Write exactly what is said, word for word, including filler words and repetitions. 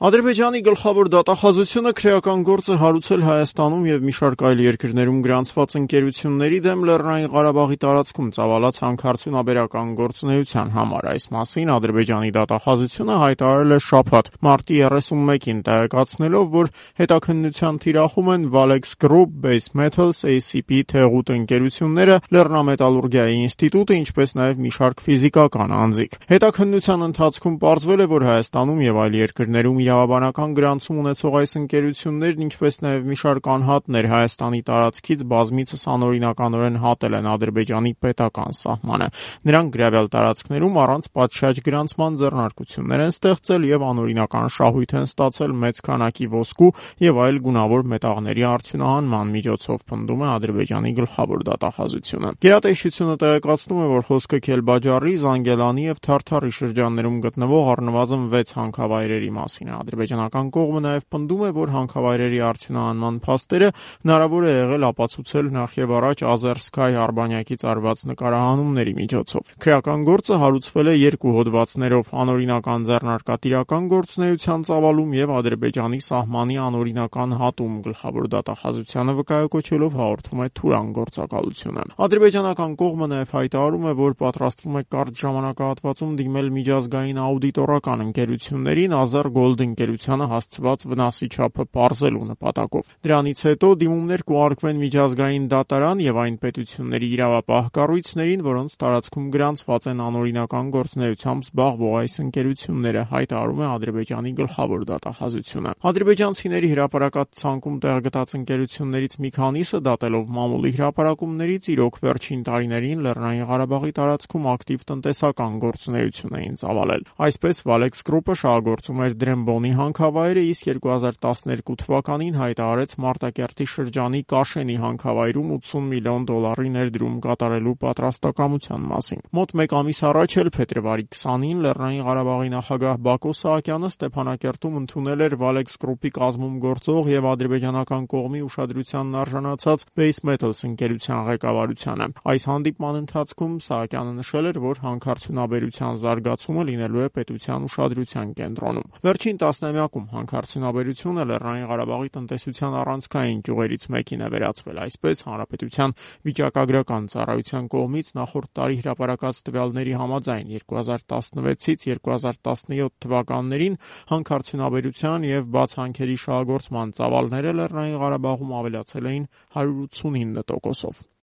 Ադրբեջանի գլխավոր դատախազությունը քրեական գործ է հարուցել Հայաստանում և մի շարք այլ երկրներում գրանցված ընկերությունների դեմ Լեռնային Ղարաբաղի տարածքում ծավալած հանքարդյունաբերական գործունեության համար։ Այս մասին Ադրբեջանի դատախազությունը հայտարարել է շաբաթ, մարտի երեսունմեկին, տեղեկացնելով, որ հետաքննության թիրախում են Valex Group, Base Metals, A C P Թեղուտ ընկերությունները, Լեռնամետալուրգիայի ինստիտուտը, ինչպես նաև մի շարք ֆիզիկական անձիկ։ Հետաքննության ընթացքում պարզվել է, որ Հայաստանում և այլ երկրներում իրավաբանական գրանցում ունեցող այս ընկերություններն, ինչպես նաև մի շարք անհատներ Հայաստանի տարածքից բազմիցս անօրինականորեն հատել են Ադրբեջանի պետական սահմանը։ Նրանք գրավյալ տարածքներում առանց պատշաճ գրանցման ձեռնարկություններ են ստեղծել և անօրինական շահույթ են ստացել մեծ քանակի ոսկու և այլ գունավոր մետաղների արդյունահանման միջոցով, պնդում է Ադրբեջանի գլխավոր դատախազությունը։ Գերատեսչությունը տեղեկացնում է, որ խոսքը Քելբաջարի, Զանգելանի և Թարթարի շրջաններում գտնվող առնվազն վեց հանքավայրերի մասին է։ Ադրբեջանական կողմը նաև պնդում է, որ հանքավայրերի արդյունահանման փաստերը հնարավոր է եղել ապացուցել նախևառաջ Azerskay արբանյակից արված նկարահանումների միջոցով։ Քրեական գործը հարուցվել է երկու հոդվածներով՝ անօրինական ձեռնարկատիրական գործունեության ծավալում և Ադրբեջանի սահմանի անօրինական հատում, գլխավոր դատախազությանը վկայակոչելով հաղորդում է Թուրան գործակալությունը։ Ադրբեջանական կողմը նաև հայտարարում է, որ պատրաստվում է կարճ ժամանակահատվածում դիմել միջազգային աուդիտորական ընկերություններին Azergold ընկերությանը հասցված վնասի չափը պարզելու նպատակով։ Դրանից հետո դիմումներ կուղարկվեն միջազգային դատարան և այն պետությունների իրավապահ կառույցներին, որոնց տարածքում գրանցված են անօրինական գործունեությամբ զբաղվող այս ընկերությունները, հայտարարում է Ադրբեջանի գլխավոր դատախազությունը։ Ադրբեջանցիների հրապարակած ցանկում տեղ գտած ընկերություններից մի քանիսը, դատելով մամուլի հրապարակումներից, իրոք վերջին տարիներին Լեռնային Ղարաբաղի տարածքում ակտիվ տնտեսական գործունեություն էին ծավալել։ Այսպես Valex Group-ը շահագործում էր Դրեմբոնի հանքավայրը, իսկ երկու հազար տասներկու թվականին հայտարարեց Մարտակերտի շրջանի Կաշենի հանքավայրում ութսուն միլիոն դոլարի ներդրում կատարելու պատրաստակամության մասին։ Մոտ մեկ ամիս առաջ էլ փետրվարի քսանին Լեռնային Ղարաբաղի նախագահ Բակո Սահակյանը Ստեփանակերտում ընդունել էր Valex Group-ի կազմում գործող և ադրբեջանական կողմի ուշադրությանն արժանացած Base Metals ընկերության ղեկավարությանը։ Այս հանդիպման ընթացքում Սահակյանը նշել էր, որ հանքարդյունաբերության զարգացումը լինելու է պետության ուշադրության կենտրոնում։ Վերջին տասնամյակում հանքարդյունաբերությունը Լեռնային Ղարաբաղի տնտեսության առանցքային ճյուղերից մեկին է վերածվել։ Այսպես, Հանրապետության վիճակագրական ծառայության կողմից նախորդ տարի հրապարակած տվյալների համաձայն երկու հազար տասնվեցից երկու հազար տասնյոթ թվականներին հանքարդյունաբերության և բաց հանքերի շահագործման ծավալները Լեռնային Ղարաբաղում ավելացել էին հարյուր ութսունինը տոկոսով։